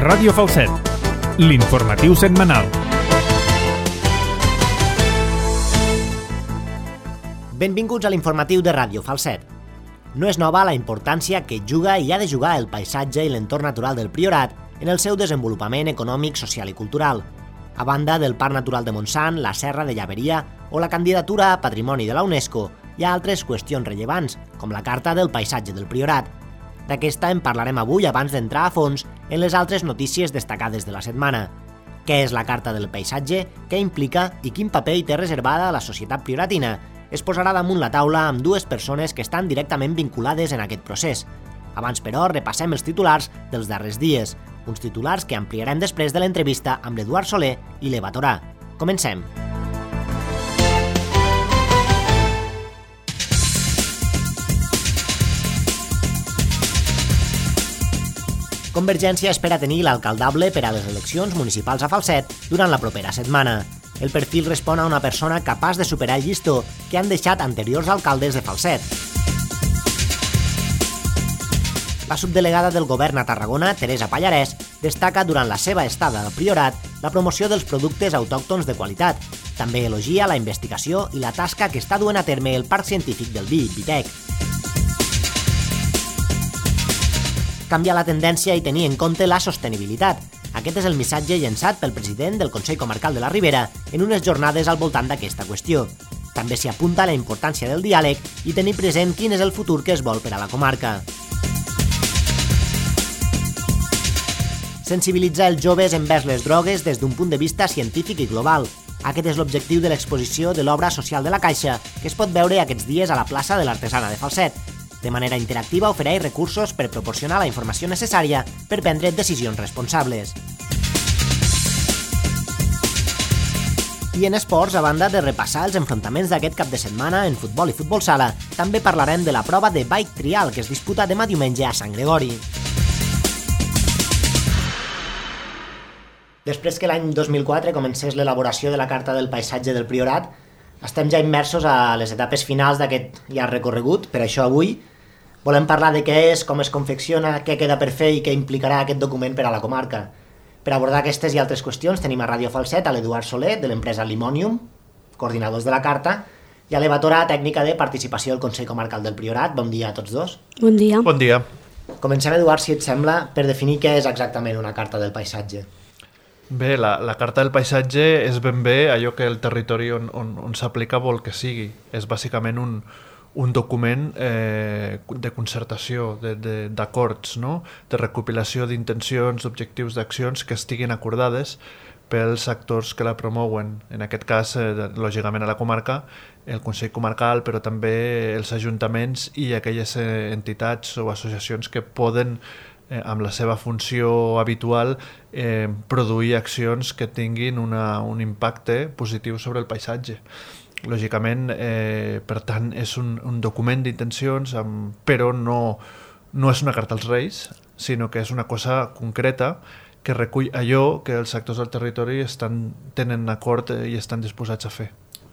Ràdio Falset, l'informatiu setmanal. Benvinguts a l'informatiu de Ràdio Falset. No és nova la importància que juga i ha de jugar el paisatge i l'entorn natural del Priorat en el seu desenvolupament econòmic, social i cultural. A banda del Parc Natural de Montsant, la Serra de Llaveria o la candidatura a Patrimoni de la UNESCO, hi ha altres qüestions rellevants, com la Carta del Paisatge del Priorat. D'aquesta en parlarem avui abans d'entrar a fons en les altres notícies destacades de la setmana. Què és la Carta del Paisatge, què implica i quin paper hi té reservada la societat prioratina? Es posarà damunt la taula amb dues persones que estan directament vinculades en aquest procés. Abans, però, repassem els titulars dels darrers dies, uns titulars que ampliarem després de l'entrevista amb l'Eduard Soler i l'Eva Torà. Comencem. Convergència espera tenir l'alcaldable per a les eleccions municipals a Falset durant la propera setmana. El perfil respon a una persona capaç de superar el llistó que han deixat anteriors alcaldes de Falset. La subdelegada del govern a Tarragona, Teresa Pallarès, destaca durant la seva estada al Priorat la promoció dels productes autòctons de qualitat. També elogia la investigació i la tasca que està duent a terme el Parc Científic del Vi, Vitec. Canviar la tendència i tenir en compte la sostenibilitat. Aquest és el missatge llançat pel president del Consell Comarcal de la Ribera en unes jornades al voltant d'aquesta qüestió. També s'hi apunta la importància del diàleg i tenir present quin és el futur que es vol per a la comarca. Sensibilitzar els joves envers les drogues des d'un punt de vista científic i global. Aquest és l'objectiu de l'exposició de l'obra social de la Caixa, que es pot veure aquests dies a la plaça de l'Artesana de Falset. De manera interactiva ofereix recursos per proporcionar la informació necessària per prendre decisions responsables. I en esports, a banda de repassar els enfrontaments d'aquest cap de setmana en futbol i futbol sala, també parlarem de la prova de bike trial que es disputa demà diumenge a Sant Gregori. Després que l'any 2004 comencés l'elaboració de la Carta del Paisatge del Priorat, estem ja immersos a les etapes finals d'aquest llarg recorregut. Per això avui volem parlar de què és, com es confecciona, què queda per fer i què implicarà aquest document per a la comarca. Per abordar aquestes i altres qüestions tenim a Ràdio Falset a l'Eduard Soler, de l'empresa Limonium, coordinadors de la Carta, i a l'Eva Torà, tècnica de participació del Consell Comarcal del Priorat. Bon dia a tots dos. Bon dia. Bon dia. Comencem, Eduard, si et sembla, per definir què és exactament una Carta del Paisatge. Bé, la Carta del Paisatge és ben bé allò que el territori on s'aplica vol que sigui. És bàsicament un document de concertació, d'acords, no? De recopilació d'intencions, d'objectius, d'accions que estiguin acordades pels actors que la promouen. En aquest cas, lògicament a la comarca, el Consell Comarcal, però també els ajuntaments i aquelles entitats o associacions que poden amb la seva funció habitual produir accions que tinguin un impacte positiu sobre el paisatge. Lògicament, per tant, és un document d'intencions, però no és una carta als Reis, sinó que és una cosa concreta que recull allò que els actors del territori tenen acord i estan disposats a fer.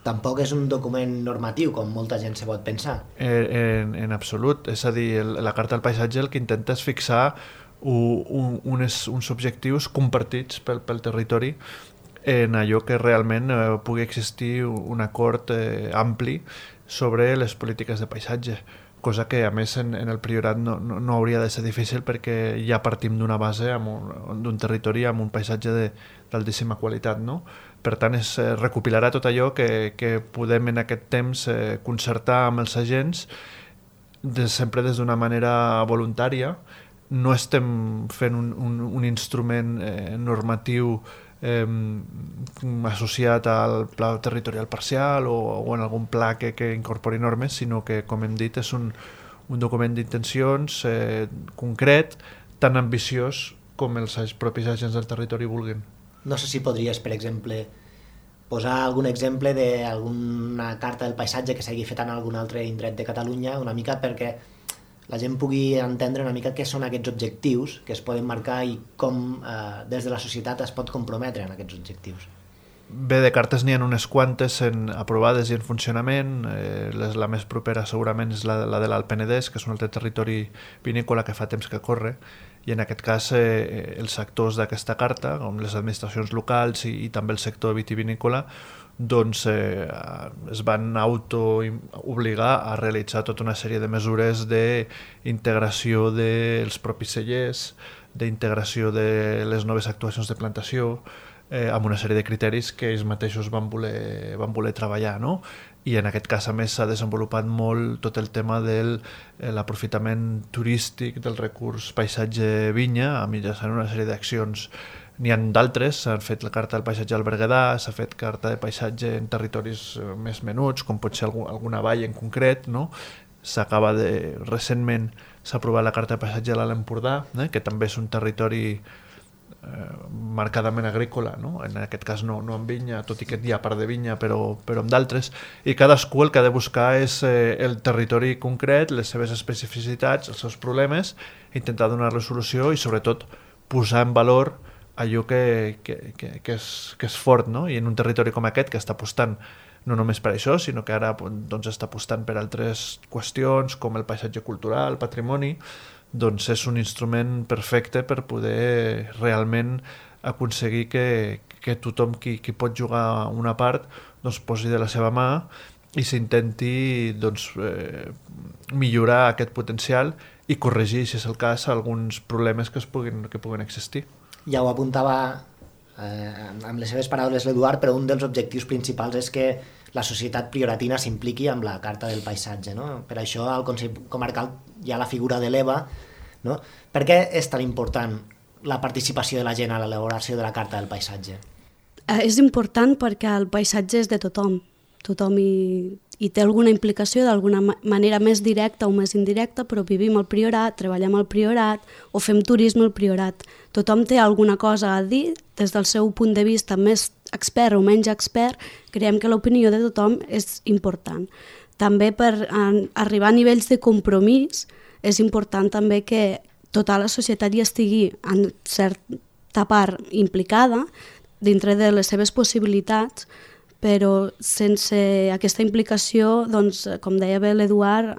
Tampoc és un document normatiu, com molta gent se pot pensar. En absolut. És a dir, la Carta del Paisatge el que intenta és fixar uns objectius compartits pel territori en allò que realment pugui existir un acord ampli sobre les polítiques de paisatge, cosa que a més en el Priorat no hauria de ser difícil perquè ja partim d'una base d'un territori amb un paisatge d'altíssima qualitat, no? Per tant, recopilarà tot allò que podem en aquest temps concertar amb els agents, sempre des d'una manera voluntària. No estem fent un instrument normatiu associat al pla territorial parcial o en algun pla que incorpori normes, sinó que, com hem dit, és un document d'intencions concret, tan ambiciós com els propis agents del territori vulguin. No sé si podries, per exemple, posar algun exemple d'alguna carta del paisatge que s'hagi fet en algun altre indret de Catalunya, una mica perquè la gent pugui entendre una mica què són aquests objectius que es poden marcar i com des de la societat es pot comprometre en aquests objectius. Bé, de cartes n'hi ha unes quantes aprovades i en funcionament. La més propera segurament és la de l'Alt Penedès, que és un altre territori vinícola que fa temps que corre, i en aquest cas els actors d'aquesta carta, com les administracions locals i també el sector vitivinícola, doncs es van obligar a realitzar tota una sèrie de mesures d'integració dels propis cellers, d'integració de les noves actuacions de plantació, amb una sèrie de criteris que ells mateixos van voler treballar, no? I en aquest cas, a més, s'ha desenvolupat molt tot el tema de l'aprofitament turístic del recurs paisatge-vinya, mitjançant una sèrie d'accions. N'hi ha d'altres, s'ha fet la carta del paisatge al Berguedà, s'ha fet carta de paisatge en territoris més menuts, com pot ser alguna vall en concret, no? Recentment s'ha aprovat la carta de paisatge a l'Alt Empordà, que també és un territori marcadament agrícola, no? En aquest cas no amb vinya, tot i que hi ha part de vinya, però amb d'altres, i cadascú el que ha de buscar és el territori concret, les seves especificitats, els seus problemes, intentar donar-li solució i sobretot posar en valor allò que és fort, no? I en un territori com aquest que està apostant no només per això, sinó que ara doncs, està apostant per altres qüestions com el paisatge cultural, el patrimoni, doncs és un instrument perfecte per poder realment aconseguir que tothom qui pot jugar una part doncs, posi de la seva mà i s'intenti doncs, millorar aquest potencial i corregir, si és el cas, alguns problemes que puguin existir. Ja ho apuntava amb les seves paraules l'Eduard, però un dels objectius principals és que la societat prioratina s'impliqui amb la Carta del Paisatge, no? Per això al Consell Comarcal hi ha la figura de l'EVA, no? Per què és tan important la participació de la gent a l'elaboració de la Carta del Paisatge? És important perquè el paisatge és de tothom. Tothom hi té alguna implicació d'alguna manera més directa o més indirecta, però vivim al Priorat, treballem al Priorat o fem turisme al Priorat. Tothom té alguna cosa a dir des del seu punt de vista més expert o menys expert. Creiem que l'opinió de tothom és important. També per arribar a nivells de compromís és important també que tota la societat hi estigui en certa part implicada dintre de les seves possibilitats, però sense aquesta implicació, doncs, com deia bé l'Eduard,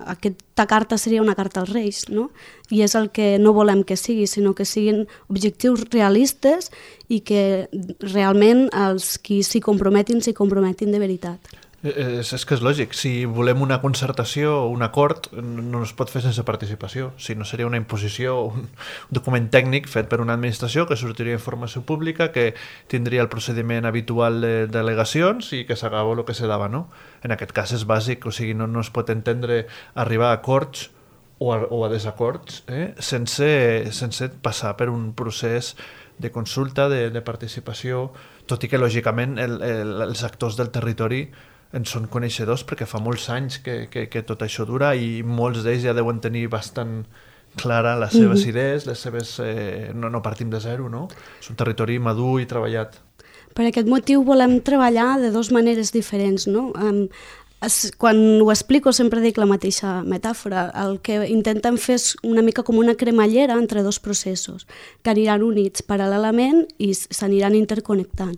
aquesta carta seria una carta als Reis, no? I és el que no volem que sigui, sinó que siguin objectius realistes i que realment els qui s'hi comprometin de veritat. És que és lògic, si volem una concertació o un acord no es pot fer sense participació, si no seria una imposició, un document tècnic fet per una administració que sortiria informació pública, que tindria el procediment habitual de delegacions i que s'acaba el que se dava, no? En aquest cas és bàsic, o sigui, no es pot entendre arribar a acords o a desacords sense passar per un procés de consulta, de participació, tot i que lògicament els actors del territori en són coneixedors perquè fa molts anys que tot això dura i molts d'ells ja deuen tenir bastant clara les seves idees, les seves... no partim de zero, no? És un territori madur i treballat. Per aquest motiu volem treballar de dues maneres diferents, no? Quan ho explico sempre dic la mateixa metàfora. El que intentem fer és una mica com una cremallera entre dos processos que aniran units paral·lelament i s'aniran interconnectant.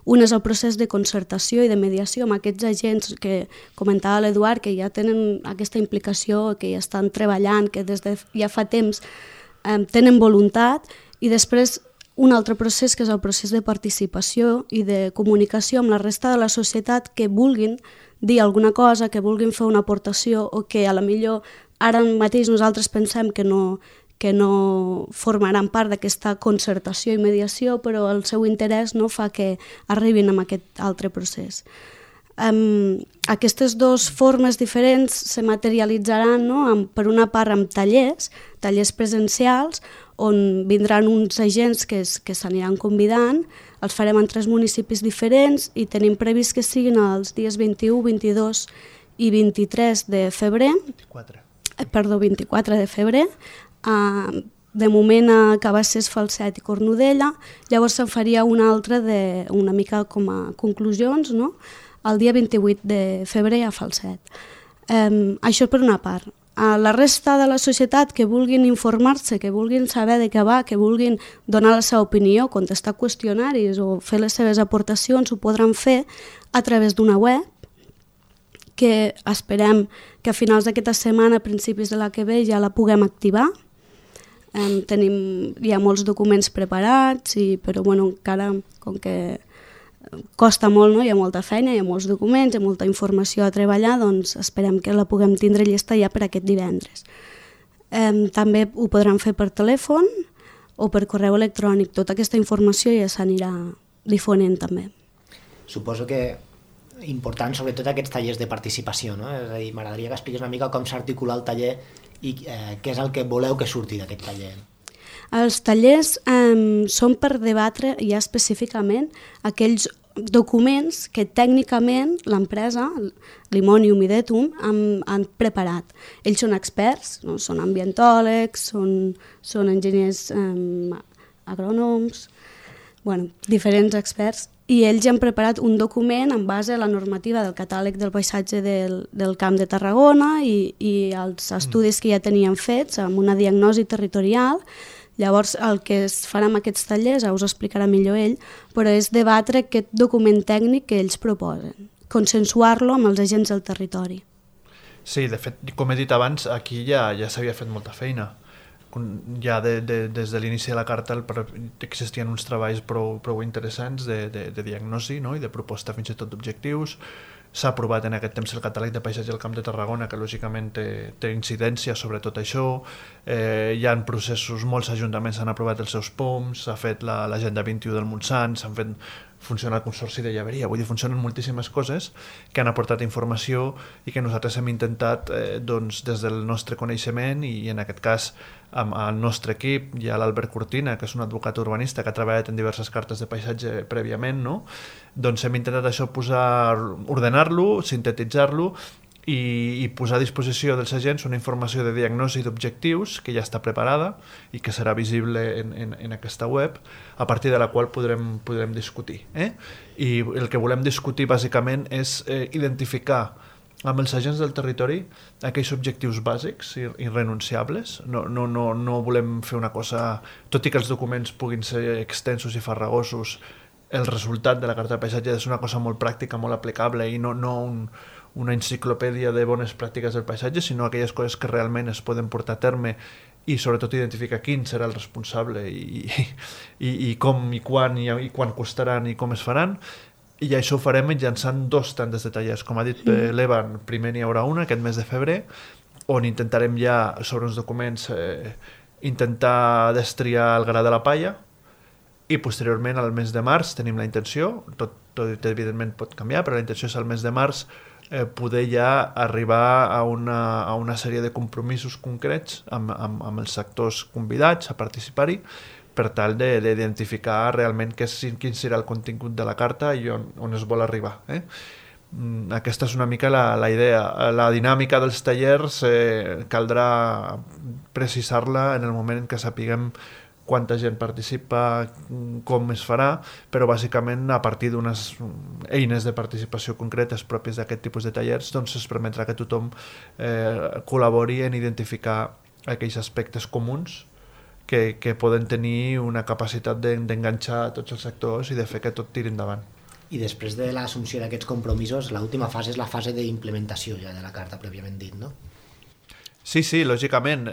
Un és el procés de concertació i de mediació amb aquests agents que comentava l'Eduard, que ja tenen aquesta implicació, que ja estan treballant, que des de ja fa temps tenen voluntat, i després un altre procés que és el procés de participació i de comunicació amb la resta de la societat que vulguin dir alguna cosa, que vulguin fer una aportació o que a la millor ara mateix nosaltres pensem que no formaran part d'aquesta concertació i mediació, però el seu interès no fa que arribin a aquest altre procés. Aquestes dues formes diferents se materialitzaran, no? Per una part amb tallers presencials, on vindran uns agents que s'aniran convidant, els farem en 3 municipis diferents i tenim previst que siguin els dies 21, 22 i 23 de febrer. 24 de febrer. De moment a Cabassers, Falset i Cornudella. Llavors se'n faria una altra una mica com a conclusions, no? El dia 28 de febrer a Falset. Això per una part. A la resta de la societat que vulguin informar-se, que vulguin saber de què va, que vulguin donar la seva opinió, contestar qüestionaris o fer les seves aportacions, ho podran fer a través d'una web que esperem que a finals d'aquesta setmana, a principis de la que ve, ja la puguem activar. Hi ha molts documents preparats, però bueno, encara com que costa molt, no? Hi ha molta feina, hi ha molts documents, hi ha molta informació a treballar, doncs esperem que la puguem tindre llesta ja per aquest divendres. També ho podran fer per telèfon o per correu electrònic. Tota aquesta informació ja s'anirà difonent també. Suposo que important sobretot aquests tallers de participació, no? És a dir, m'agradaria que expliqués una mica com s'articula el taller i què és el que voleu que surti d'aquest taller. Els tallers són per debatre ja específicament aquells documents que tècnicament l'empresa, Limonium i Detum, han preparat. Ells són experts, no? Són ambientòlegs, són enginyers agrònoms, diferents experts, i ells han preparat un document en base a la normativa del catàleg del paisatge del Camp de Tarragona i els estudis que ja tenien fets amb una diagnosi territorial. Llavors el que es farà amb aquests tallers, us explicarà millor ell, però és debatre aquest document tècnic que ells proposen, consensuar-lo amb els agents del territori. Sí, de fet, com he dit abans, aquí ja s'havia fet molta feina. Ja des de l'inici de la carta existien uns treballs prou interessants de diagnosi, no? I de proposta fins i tot d'objectius. S'ha aprovat en aquest temps el catàleg de paisatge del Camp de Tarragona, que lògicament té incidència sobre tot això. Hi ha processos, molts ajuntaments han aprovat els seus POMs, s'ha fet l'Agenda 21 del Montsant, s'han fet funciona el Consorci de Llaveria, vull dir, funcionen moltíssimes coses que han aportat informació i que nosaltres hem intentat des del nostre coneixement i en aquest cas amb el nostre equip, hi ha l'Albert Cortina, que és un advocat urbanista que ha treballat en diverses cartes de paisatge prèviament, no? Doncs hem intentat això ordenar-lo, sintetitzar-lo i posar a disposició dels agents una informació de diagnosi d'objectius que ja està preparada i que serà visible en aquesta web, a partir de la qual podrem discutir. I el que volem discutir bàsicament és identificar amb els agents del territori aquells objectius bàsics i irrenunciables. No volem fer una cosa, tot i que els documents puguin ser extensos i farragosos, el resultat de la carta de paisatge és una cosa molt pràctica, molt aplicable i no una enciclopèdia de bones pràctiques del paisatge, sinó aquelles coses que realment es poden portar a terme i sobretot identificar quin serà el responsable i com i quan costaran i com es faran. I això ho farem mitjançant 2 tandes de tallers. Com ha dit l'Evan, primer n'hi haurà una aquest mes de febrer, on intentarem ja sobre uns documents intentar destriar el gra de la palla, i posteriorment al mes de març tenim la intenció, tot evidentment pot canviar, però la intenció és al mes de març poder ja arribar a una sèrie de compromisos concrets amb els sectors convidats a participar-hi per tal d'identificar realment quin serà el contingut de la carta i on es vol arribar. Aquesta és una mica la idea. La dinàmica dels tallers caldrà precisar-la en el moment en què sapiguem quanta gent participa, com es farà, però bàsicament a partir d'unes eines de participació concretes pròpies d'aquest tipus de tallers doncs es permetrà que tothom col·labori en identificar aquells aspectes comuns que poden tenir una capacitat d'enganxar tots els sectors i de fer que tot tiri endavant. I després de l'assumpció d'aquests compromisos, l'última fase és la fase d'implementació ja de la carta pròpiament dit, no? Sí, lògicament.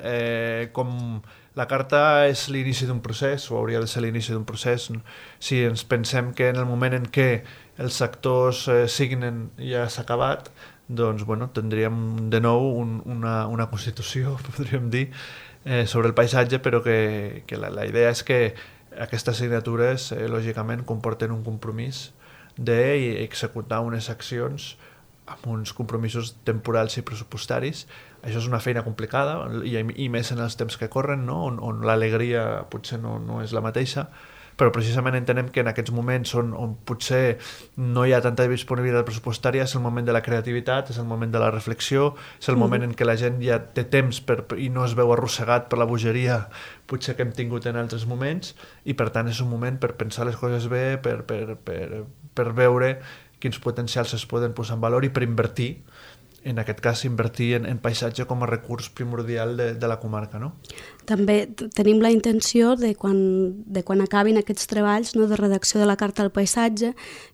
Com la carta és l'inici d'un procés, o hauria de ser l'inici d'un procés, si ens pensem que en el moment en què els sectors signen ja s'ha acabat, doncs tindríem de nou una constitució, podríem dir, sobre el paisatge, però que la idea és que aquestes signatures lògicament comporten un compromís d'executar unes accions amb uns compromisos temporals i pressupostaris. Això és una feina complicada i més en els temps que corren, no? on l'alegria potser no és la mateixa, però precisament entenem que en aquests moments on potser no hi ha tanta disponibilitat pressupostària és el moment de la creativitat, és el moment de la reflexió, és el moment en què la gent ja té temps i no es veu arrossegat per la bogeria potser que hem tingut en altres moments, i per tant és un moment per pensar les coses bé, per veure quins potencials es poden posar en valor i per invertir en aquest cas, invertir en paisatge com a recurs primordial de la comarca, no? També tenim la intenció de quan acabin aquests treballs, no, de redacció de la Carta del Paisatge,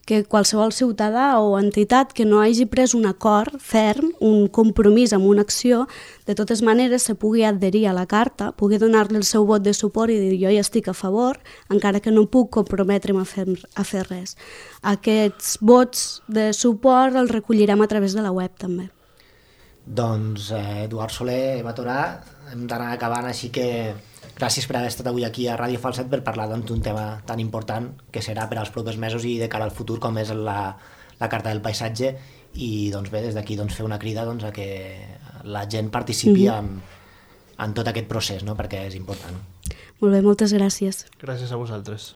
que qualsevol ciutadà o entitat que no hagi pres un acord ferm, un compromís amb una acció, de totes maneres se pugui adherir a la Carta, pugui donar-li el seu vot de suport i dir jo hi estic a favor, encara que no puc comprometre'm a fer res. Aquests vots de suport els recollirem a través de la web també. Doncs Eduard Soler, Eva Torà, hem d'anar acabant, així que gràcies per haver estat avui aquí a Ràdio Falset per parlar d'un tema tan important que serà per als propers mesos i de cara al futur com és la Carta del Paisatge, i doncs bé, des d'aquí fer una crida a que la gent participi en tot aquest procés, no? Perquè és important. Molt bé, moltes gràcies. Gràcies a vosaltres.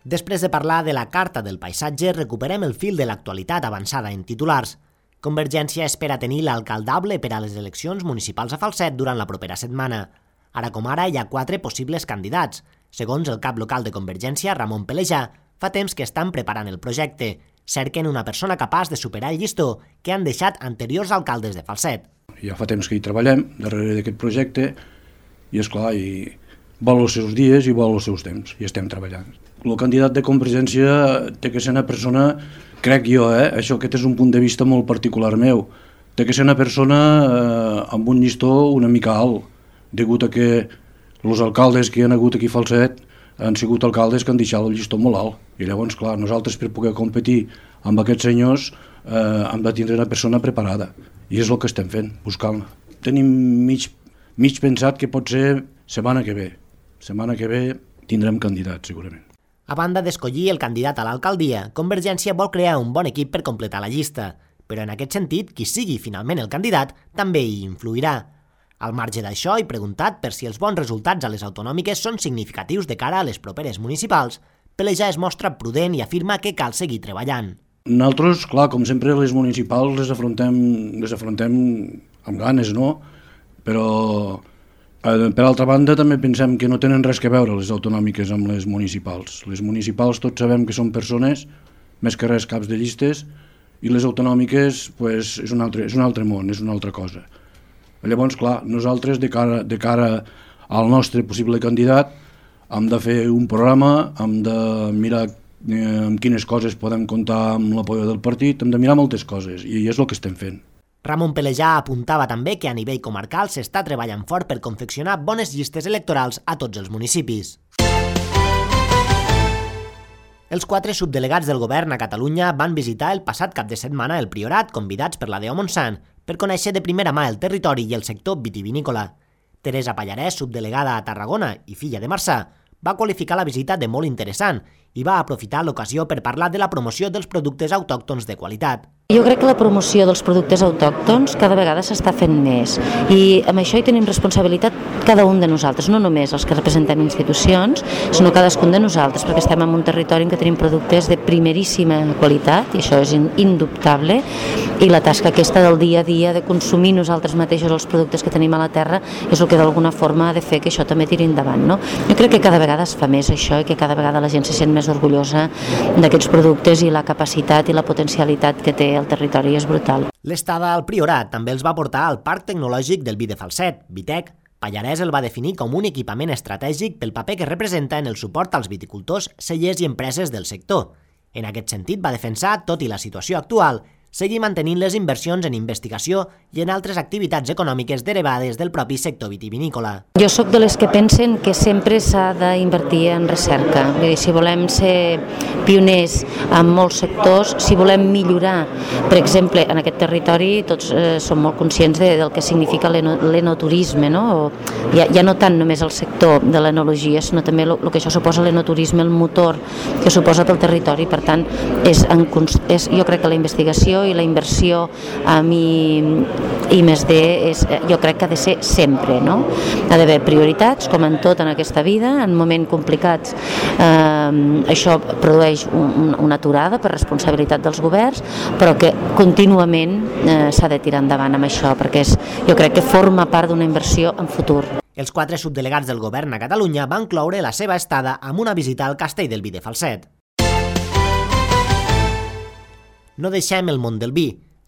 Després de parlar de la Carta del Paisatge, recuperem el fil de l'actualitat avançada en titulars. Convergència espera tenir l'alcaldable per a les eleccions municipals a Falset durant la propera setmana. Ara com ara hi ha 4 possibles candidats. Segons el cap local de Convergència, Ramon Pelejà, fa temps que estan preparant el projecte. Cerquen una persona capaç de superar el llistó que han deixat anteriors alcaldes de Falset. Ja fa temps que hi treballem darrere d'aquest projecte i, esclar, vol els seus dies i vol els seus temps, i estem treballant. El candidat de Convergència té que ser una persona, crec jo, això aquest és un punt de vista molt particular meu, té que ser una persona amb un llistó una mica alt, degut a que els alcaldes que hi ha hagut aquí a Falset han sigut alcaldes que han deixat el llistó molt alt. I llavors, clar, nosaltres per poder competir amb aquests senyors hem de tindre una persona preparada. I és el que estem fent, buscant-la. Tenim mig pensat que pot ser setmana que ve. Setmana que ve tindrem candidat, segurament. A banda d'escollir el candidat a l'alcaldia, Convergència vol crear un bon equip per completar la llista, però en aquest sentit, qui sigui finalment el candidat també hi influirà. Al marge d'això, he preguntat per si els bons resultats a les autonòmiques són significatius de cara a les properes municipals. Pelejà es mostra prudent i afirma que cal seguir treballant. Nosaltres, clar, com sempre, les municipals les afrontem amb ganes, no? Però per altra banda, també pensem que no tenen res que veure les autonòmiques amb les municipals. Les municipals tots sabem que són persones, més que res caps de llistes, i les autonòmiques pues, és un altre món, és una altra cosa. Llavors, clar, nosaltres, de cara al nostre possible candidat, hem de fer un programa, hem de mirar amb quines coses podem comptar amb l'apoyo del partit, hem de mirar moltes coses, i és el que estem fent. Ramon Pelejà apuntava també que a nivell comarcal s'està treballant fort per confeccionar bones llistes electorals a tots els municipis. Els 4 subdelegats del govern a Catalunya van visitar el passat cap de setmana el Priorat, convidats per la Deo Montsant, per conèixer de primera mà el territori i el sector vitivinícola. Teresa Pallarès, subdelegada a Tarragona i filla de Marçà, va qualificar la visita de molt interessant i va aprofitar l'ocasió per parlar de la promoció dels productes autòctons de qualitat. Jo crec que la promoció dels productes autòctons cada vegada s'està fent més i amb això hi tenim responsabilitat cada un de nosaltres, no només els que representem institucions, sinó cadascun de nosaltres, perquè estem en un territori en què tenim productes de primeríssima qualitat i això és indubtable, i la tasca aquesta del dia a dia de consumir nosaltres mateixos els productes que tenim a la terra és el que d'alguna forma ha de fer que això també tiri endavant, no? Jo crec que cada vegada es fa més això i que cada vegada la gent se sent més orgullosa d'aquests productes i la capacitat i la potencialitat que té el territori és brutal. L'estada al Priorat també els va portar al Parc Tecnològic del Vi de Falset, Vitec. Pallarès el va definir com un equipament estratègic pel paper que representa en el suport als viticultors, cellers i empreses del sector. En aquest sentit va defensar, tot i la situació actual, seguir mantenint les inversions en investigació i en altres activitats econòmiques derivades del propi sector vitivinícola. Jo sóc de les que pensen que sempre s'ha d'invertir en recerca. Vull dir, si volem ser pioners en molts sectors, si volem millorar, per exemple, en aquest territori tots som molt conscients del que significa l'enoturisme, no? Ja no tant només el sector de l'enologia, sinó també el que això suposa l'enoturisme, el motor que suposa pel territori. Per tant, jo crec que la investigació i la inversió amb I+D jo crec que ha de ser sempre, no? Ha d'haver prioritats, com en tot en aquesta vida, en moments complicats això produeix una aturada per responsabilitat dels governs, però que contínuament s'ha de tirar endavant amb això, perquè jo crec que forma part d'una inversió en futur. Els 4 subdelegats del govern a Catalunya van cloure la seva estada amb una visita al Castell del Vi de Falset. No deixem el món del vi.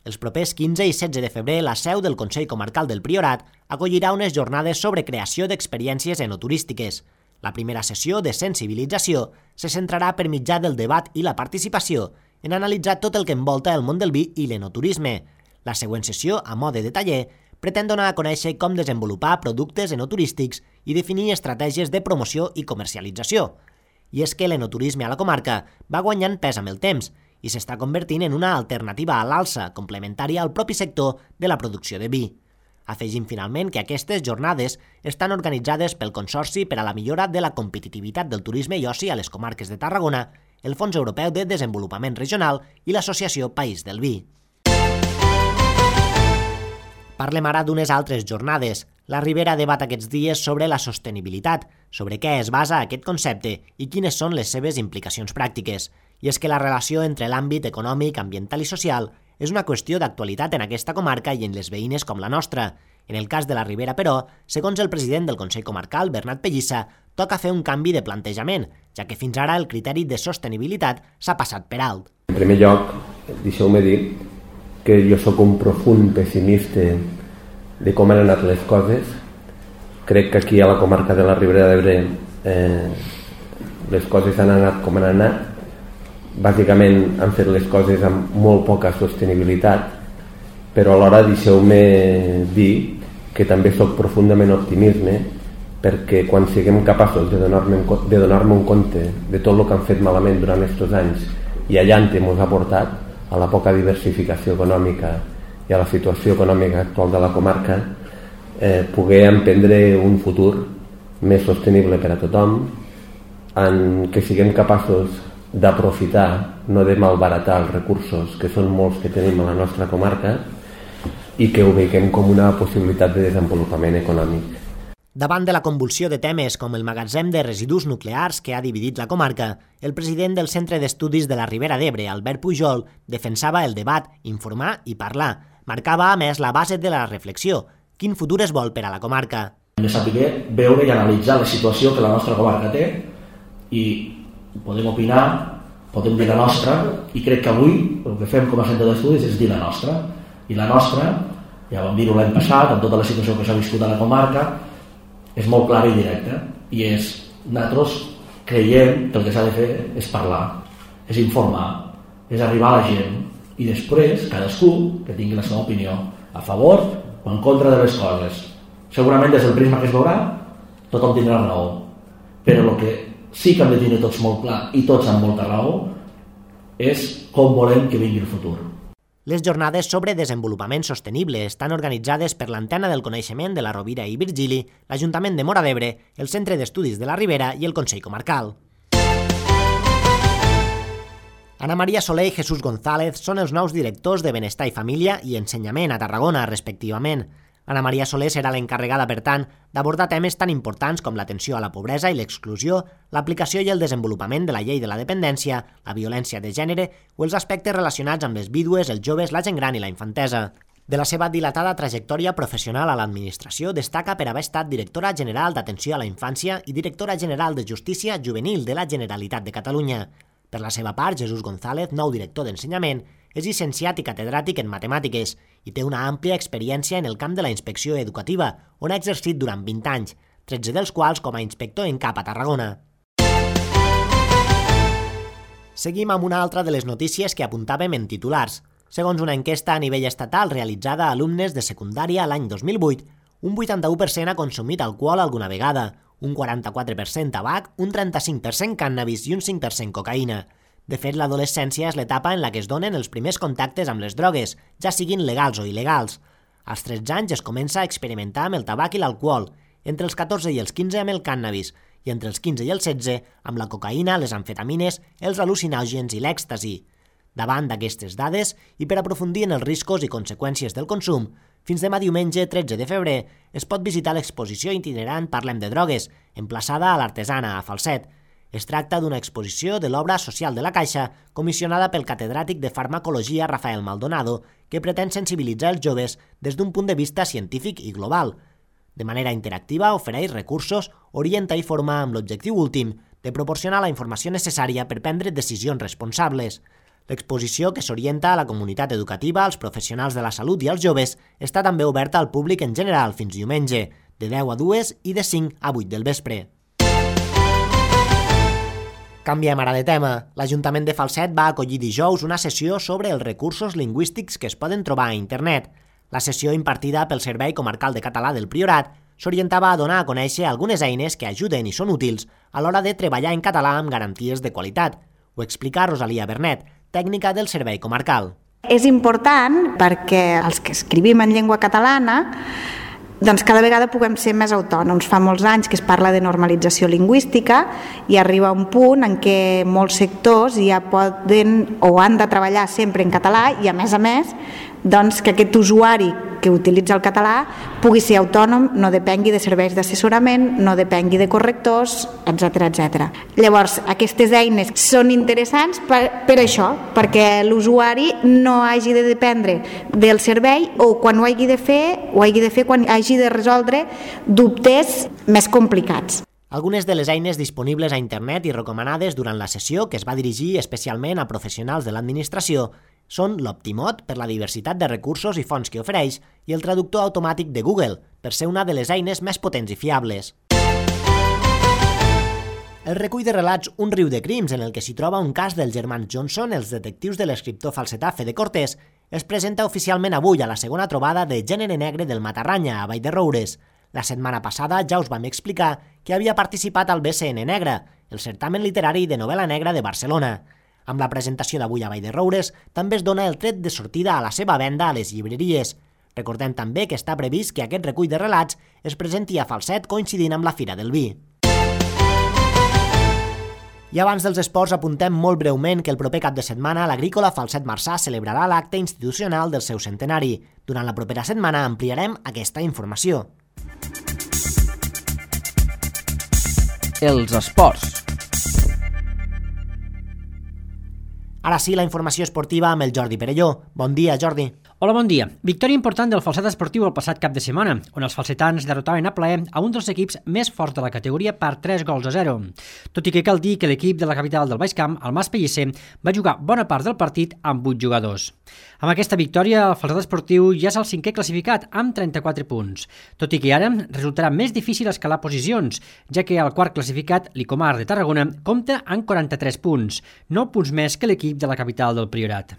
Els propers 15 i 16 de febrer, la seu del Consell Comarcal del Priorat acollirà unes jornades sobre creació d'experiències enoturístiques. La primera sessió de sensibilització se centrarà per mitjà del debat i la participació en analitzar tot el que envolta el món del vi i l'enoturisme. La següent sessió, a mode de taller, pretén donar a conèixer com desenvolupar productes enoturístics i definir estratègies de promoció i comercialització. I és que l'enoturisme a la comarca va guanyant pes amb el temps i s'està convertint en una alternativa a l'alça complementària al propi sector de la producció de vi. Afegim finalment que aquestes jornades estan organitzades pel Consorci per a la millora de la competitivitat del turisme i oci a les comarques de Tarragona, el Fons Europeu de Desenvolupament Regional i l'Associació País del Vi. Parlem ara d'unes altres jornades. La Ribera debat aquests dies sobre la sostenibilitat, sobre què es basa aquest concepte i quines són les seves implicacions pràctiques. I és que la relació entre l'àmbit econòmic, ambiental i social és una qüestió d'actualitat en aquesta comarca i en les veïnes com la nostra. En el cas de la Ribera, però, segons el president del Consell Comarcal, Bernat Pellissa, toca fer un canvi de plantejament, ja que fins ara el criteri de sostenibilitat s'ha passat per alt. En primer lloc, deixeu-me dir que jo sóc un profund pessimista de com han anat les coses. Crec que aquí a la comarca de la Ribera d'Ebre les coses han anat com han anat. Bàsicament han fet les coses amb molt poca sostenibilitat, però alhora deixeu-me dir que també sóc profundament optimista perquè quan siguem capaços de donar-me un compte de tot el que han fet malament durant aquests anys i allà on ens ha portat, a la poca diversificació econòmica i a la situació econòmica actual de la comarca, poder emprendre un futur més sostenible per a tothom, en què siguem capaços d'aprofitar, no de malbaratar els recursos, que són molts que tenim a la nostra comarca, i que ho veiem com una possibilitat de desenvolupament econòmic. Davant de la convulsió de temes com el magatzem de residus nuclears que ha dividit la comarca, el president del Centre d'Estudis de la Ribera d'Ebre, Albert Pujol, defensava el debat, informar i parlar. Marcava, a més, la base de la reflexió. Quin futur es vol per a la comarca? Hem de saber veure i analitzar la situació que la nostra comarca té i podem opinar, podem dir la nostra, i crec que avui el que fem com a centre d'estudis és dir la nostra. I la nostra, ja vam dir-ho l'any passat, amb tota la situació que s'ha viscut a la comarca, és molt clara i directa. I és, nosaltres creiem que el que s'ha de fer és parlar, és informar, és arribar a la gent, i després cadascú que tingui la seva opinió a favor o en contra de les coses. Segurament des del prisma que es veurà, tothom tindrà raó. Però el que sí que hem de tenir tots molt clar i tots amb molta raó és com volem que vingui el futur. Les jornades sobre desenvolupament sostenible estan organitzades per l'Antena del Coneixement de la Rovira i Virgili, l'Ajuntament de Móra d'Ebre, el Centre d'Estudis de la Ribera i el Consell Comarcal. Ana Maria Soler i Jesús González són els nous directors de Benestar i Família i Ensenyament a Tarragona, respectivament. Ana Maria Soler serà l'encarregada, per tant, d'abordar temes tan importants com l'atenció a la pobresa i l'exclusió, l'aplicació i el desenvolupament de la llei de la dependència, la violència de gènere o els aspectes relacionats amb les vídues, els joves, la gent gran i la infantesa. De la seva dilatada trajectòria professional a l'administració destaca per haver estat directora general d'Atenció a la Infància i directora general de Justícia Juvenil de la Generalitat de Catalunya. Per la seva part, Jesús González, nou director d'Ensenyament, és llicenciat i catedràtic en matemàtiques i té una àmplia experiència en el camp de la inspecció educativa, on ha exercit durant 20 anys, 13 dels quals com a inspector en cap a Tarragona. Seguim amb una altra de les notícies que apuntàvem en titulars. Segons una enquesta a nivell estatal realitzada a alumnes de secundària l'any 2008, un 81% ha consumit alcohol alguna vegada, un 44% tabac, un 35% cànnabis i un 5% cocaïna. De fet, l'adolescència és l'etapa en la que es donen els primers contactes amb les drogues, ja siguin legals o il·legals. Als 13 anys es comença a experimentar amb el tabac i l'alcohol, entre els 14 i els 15 amb el cànnabis, i entre els 15 i els 16 amb la cocaïna, les amfetamines, els al·lucinògens i l'èxtasi. Davant d'aquestes dades, i per aprofundir en els riscos i conseqüències del consum, fins demà diumenge 13 de febrer es pot visitar l'exposició itinerant Parlem de drogues, emplaçada a l'Artesana, a Falset. Es tracta d'una exposició de l'obra Social de la Caixa, comissionada pel catedràtic de Farmacologia Rafael Maldonado, que pretén sensibilitzar els joves des d'un punt de vista científic i global. De manera interactiva ofereix recursos, orienta i forma amb l'objectiu últim de proporcionar la informació necessària per prendre decisions responsables. L'exposició, que s'orienta a la comunitat educativa, als professionals de la salut i als joves, està també oberta al públic en general fins diumenge, de 10 a 2 i de 5 a 8 del vespre. Canviem ara de tema. L'Ajuntament de Falset va acollir dijous una sessió sobre els recursos lingüístics que es poden trobar a internet. La sessió, impartida pel Servei Comarcal de Català del Priorat, s'orientava a donar a conèixer algunes eines que ajuden i són útils a l'hora de treballar en català amb garanties de qualitat. Ho explica Rosalia Bernet, tècnica del Servei Comarcal. És important perquè els que escrivim en llengua catalana doncs cada vegada puguem ser més autònoms. Fa molts anys que es parla de normalització lingüística i arriba un punt en què molts sectors ja poden o han de treballar sempre en català i a més doncs que aquest usuari que utilitza el català pugui ser autònom, no depengui de serveis d'assessorament, no depengui de correctors, etc. Llavors, aquestes eines són interessants per això, perquè l'usuari no hagi de dependre del servei o quan ho hagi de fer, quan hagi de resoldre dubtes més complicats. Algunes de les eines disponibles a internet i recomanades durant la sessió, que es va dirigir especialment a professionals de l'administració, són l'Optimot, per la diversitat de recursos i fonts que ofereix, i el traductor automàtic de Google, per ser una de les eines més potents i fiables. El recull de relats Un riu de crims, en el que s'hi troba un cas dels germans Johnson, els detectius de l'escriptor falsetà Fede Cortés, es presenta oficialment avui a la segona trobada de Gènere negre del Matarranya, a Vall de Roures. La setmana passada ja us vam explicar que havia participat al BCN Negre, el certamen literari de novel·la negra de Barcelona. Amb la presentació d'avui a Vall de Roures també es dona el tret de sortida a la seva venda a les llibreries. Recordem també que està previst que aquest recull de relats es presenti a Falset coincidint amb la Fira del Vi. I abans dels esports apuntem molt breument que el proper cap de setmana l'Agrícola Falset Marçà celebrarà l'acte institucional del seu centenari. Durant la propera setmana ampliarem aquesta informació. Els esports. Ara sí, la informació esportiva amb el Jordi Perelló. Bon dia, Jordi. Hola, bon dia. Victòria important del Falset Esportiu el passat cap de setmana, on els falsetans derrotaven a plaer a un dels equips més forts de la categoria per 3-0. Tot i que cal dir que l'equip de la capital del Baix Camp, el Mas Pellicer, va jugar bona part del partit amb 8 jugadors. Amb aquesta victòria, el Falset Esportiu ja és el 5è classificat, amb 34 punts. Tot i que ara resultarà més difícil escalar posicions, ja que el quart classificat, l'Icomar de Tarragona, compta amb 43 punts, 9 punts més que l'equip de la capital del Priorat.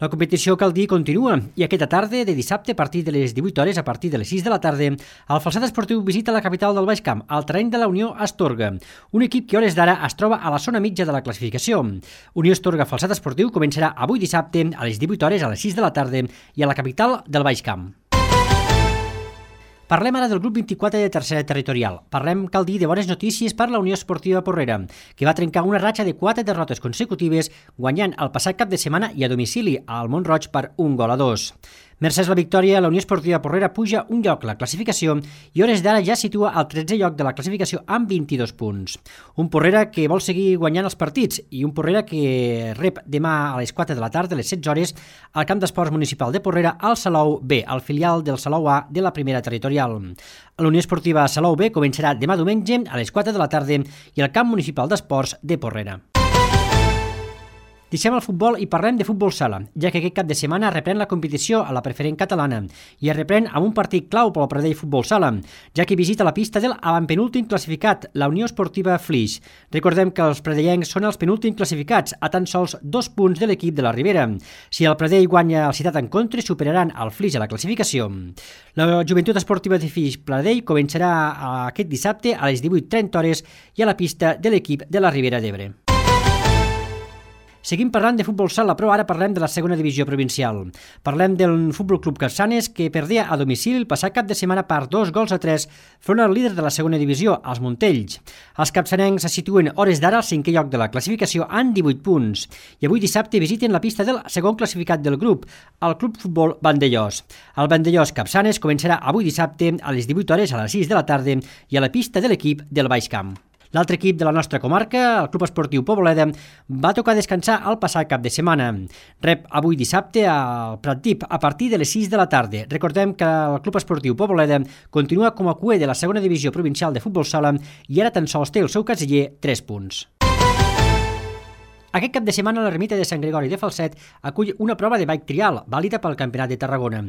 La competició, cal dir, continua i aquesta tarda de dissabte a partir de les 18 hores, a partir de les 6 de la tarda, el Falset Esportiu visita la capital del Baix Camp, al terreny de la Unió Astorga, un equip que a hores d'ara es troba a la zona mitja de la classificació. Unió Astorga Falset Esportiu començarà avui dissabte a les 18 hores, a les 6 de la tarda i a la capital del Baix Camp. Parlem ara del grup 24 de tercera territorial. Parlem, cal dir, de bones notícies per la Unió Esportiva Porrera, que va trencar una ratxa de 4 derrotes consecutives, guanyant el passat cap de setmana i a domicili al Mont-roig per 1-2. Mercès la victòria, la Unió Esportiva Porrera puja un lloc la classificació i hores d'ara ja situa al 13è lloc de la classificació amb 22 punts. Un Porrera que vol seguir guanyant els partits i un Porrera que rep demà a les 4 de la tarda, a les 16 hores, al Camp d'Esports Municipal de Porrera, al Salou B, al filial del Salou A de la primera territorial. La Unió Esportiva Salou B començarà demà diumenge a les 4 de la tarda i al Camp Municipal d'Esports de Porrera. Deixem el futbol i parlem de futbol sala, ja que aquest cap de setmana reprèn la competició a la preferent catalana i es reprèn amb un partit clau pel Pradell Futbol Sala, ja que visita la pista del avantpenúltim classificat, la Unió Esportiva Flix. Recordem que els pradellencs són els penúltims classificats, a tan sols 2 punts de l'equip de la Ribera. Si el Pradell guanya el Ciutat en Contra, superaran el Flix a la classificació. La Joventut Esportiva de Flix Pradell començarà aquest dissabte a les 18:30 hores i a la pista de l'equip de la Ribera d'Ebre. Seguim parlant de futbol sala, però ara parlem de la segona divisió provincial. Parlem del Futbol Club Capçanes, que perdia a domicili el passat cap de setmana per 2-3 front al líder de la segona divisió, els Montells. Els capçanencs se situen hores d'ara al 5è lloc de la classificació amb 18 punts i avui dissabte visiten la pista del segon classificat del grup, el Club Futbol Vandellós. El Vandellós Capçanes començarà avui dissabte a les 18 hores, a les 6 de la tarda i a la pista de l'equip del Baix Camp. L'altre equip de la nostra comarca, el Club Esportiu Poboleda, va tocar descansar el passat cap de setmana. Rep avui dissabte al Pratdip a partir de les 6 de la tarda. Recordem que el Club Esportiu Poboleda continua com a cuer de la segona divisió provincial de futbol sala i ara tan sols té el seu casiller 3 punts. Aquest cap de setmana l'ermita de Sant Gregori de Falset acull una prova de bike trial, vàlida pel Campionat de Tarragona.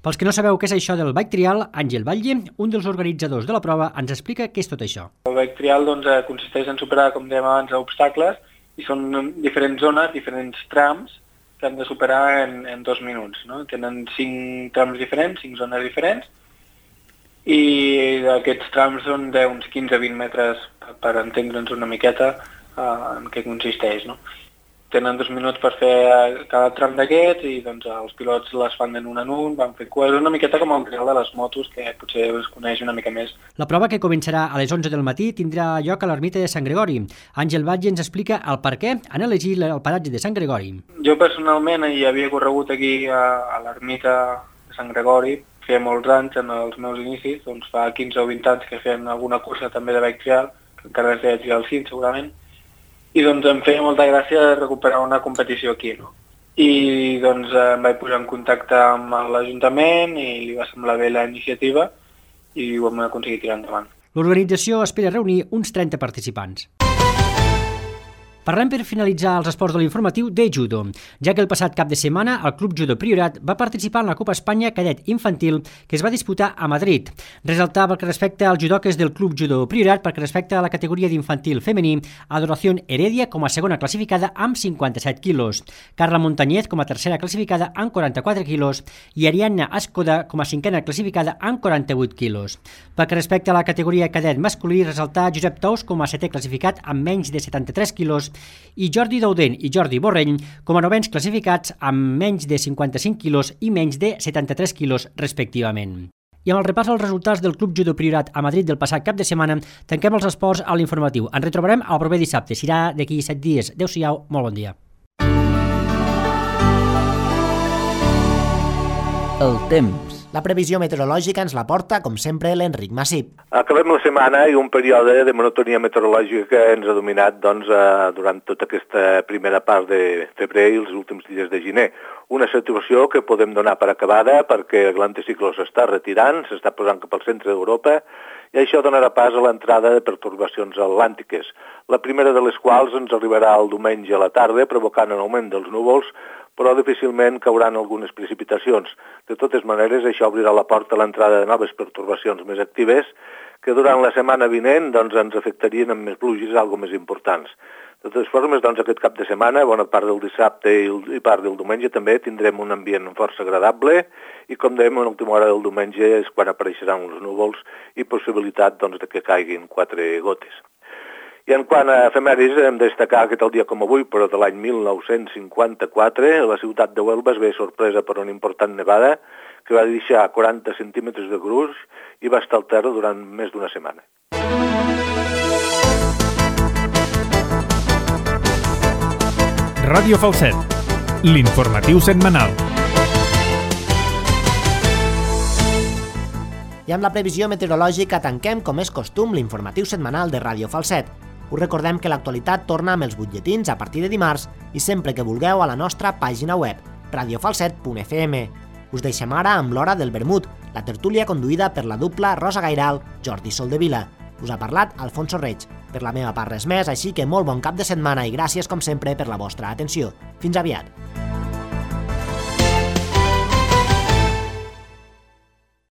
Pels que no sabeu què és això del bike trial, Àngel Batlle, un dels organitzadors de la prova, ens explica què és tot això. El bike trial consisteix en superar, com dèiem abans, obstacles, i són diferents zones, diferents trams, que han de superar en 2 minuts. No? Tenen 5 trams diferents, 5 zones diferents, i aquests trams són d'uns 15-20 metres, per entendre'ns una miqueta en què consisteix. No? Tenen 2 minuts per fer cada tram d'aquests i doncs, els pilots les fan en un, van fer cues, una miqueta com el trial de les motos, que potser es coneix una mica més. La prova, que començarà a les 11 del matí, tindrà lloc a l'ermita de Sant Gregori. Àngel Batlle ens explica el per què han elegit el paratge de Sant Gregori. Jo personalment hi havia corregut aquí a l'ermita de Sant Gregori, feia molts anys en els meus inicis, doncs fa 15 o 20 anys que feien alguna cursa també de bike trial, que encara es deia trial cim segurament, i doncs em feia molta gràcia recuperar una competició aquí, no? I doncs em vaig posar en contacte amb l'Ajuntament i li va semblar bé la iniciativa i ho vam aconseguir tirar endavant. L'organització espera reunir uns 30 participants. Parlem per finalitzar els esports de l'informatiu de judo, ja que el passat cap de setmana el Club Judo Priorat va participar en la Copa Espanya Cadet Infantil que es va disputar a Madrid. Resaltar pel que respecta als judoques del Club Judo Priorat, perquè respecta a la categoria d'infantil femení, Adoración Heredia com a segona classificada amb 57 quilos, Carla Montañez com a tercera classificada amb 44 quilos i Ariadna Escoda com a cinquena classificada amb 48 quilos. Pel que respecta a la categoria cadet masculí, resaltar Josep Tous com a setè classificat amb menys de 73 quilos i Jordi Daudent i Jordi Borrell com a novens classificats amb menys de 55 quilos i menys de 73 quilos respectivament. I amb el repàs als resultats del Club Judo Priorat a Madrid del passat cap de setmana, tanquem els esports a l'informatiu. Ens retrobarem el proper dissabte, serà d'aquí 7 dies. Adéu-siau, molt bon dia. El temps. La previsió meteorològica ens la porta, com sempre, l'Enric Massip. Acabem la setmana i un període de monotonia meteorològica que ens ha dominat durant tota aquesta primera part de febrer i els últims dies de gener. Una situació que podem donar per acabada perquè l'anticicló s'està retirant, s'està posant cap al centre d'Europa i això donarà pas a l'entrada de pertorbacions atlàntiques, la primera de les quals ens arribarà el diumenge a la tarda provocant un augment dels núvols, però difícilment cauran algunes precipitacions. De totes maneres, això obrirà la porta a l'entrada de noves pertorbacions més actives que durant la setmana vinent ens afectarien amb més pluges, algo més importants. De totes formes, aquest cap de setmana, bona part del dissabte i part del diumenge també tindrem un ambient força agradable i, com dèiem, a l'última hora del diumenge és quan apareixeran els núvols i possibilitat de que caiguin 4 gotes. I en quant a efemèris, hem de destacar que tal dia com avui, però de l'any 1954, la ciutat de Huelva es ve sorpresa per una important nevada que va deixar 40 centímetres de gruix i va estar al terra durant més d'una setmana. Ràdio Falset, l'informatiu setmanal. I amb la previsió meteorològica tanquem, com és costum, l'informatiu setmanal de Ràdio Falset. Us recordem que l'actualitat torna amb els butlletins a partir de dimarts i sempre que vulgueu a la nostra pàgina web, radiofalset.fm. Us deixem ara amb l'Hora del Vermut, la tertúlia conduïda per la dupla Rosa Gairal, Jordi Soldevila. Us ha parlat Alfonso Reig. Per la meva part res més, així que molt bon cap de setmana i gràcies com sempre per la vostra atenció. Fins aviat!